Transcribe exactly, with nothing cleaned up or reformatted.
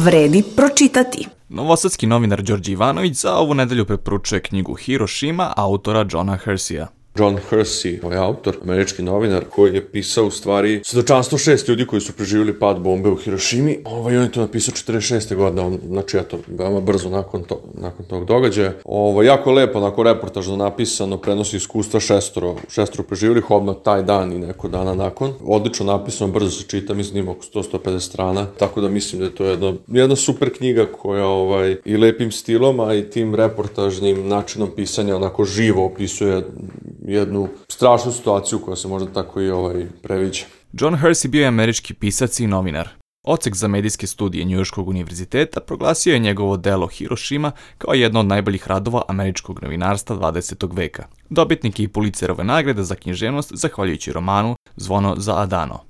vredi pročitati. Novosadski novinar Đorđe Ivanović za ovu nedelju preporučuje knjigu Hirošima autora Johna Hersija. John Hersey, ovaj autor, američki novinar, koji je pisao u stvari svedočanstvo šest ljudi koji su preživjeli pad bombe u Hirošimi. Ovaj, on je to napisao četrdeset šeste godine, on, znači eto, veoma brzo nakon, to, nakon tog događaja. Ovaj, jako lepo, onako reportažno napisano, prenosi iskustva šestoro, šestoro preživjelih odmah taj dan i neko dana nakon. Odlično napisano, brzo se čita, mislim da ima oko sto do sto pedeset strana, tako da mislim da je to jedna, jedna super knjiga koja ovaj, i lepim stilom, a i tim reportažnim načinom pisanja onako živo opisuje jednu strašnu situaciju koja se možda tako i ovaj previđa. John Hersey bio je američki pisac i novinar. Odsek za medijske studije Njujorškog univerziteta proglasio je njegovo delo Hirošima kao jedno od najboljih radova američkog novinarstva dvadesetog veka. Dobitnik je i Pulitzerove nagrade za književnost zahvaljujući romanu Zvono za Adano.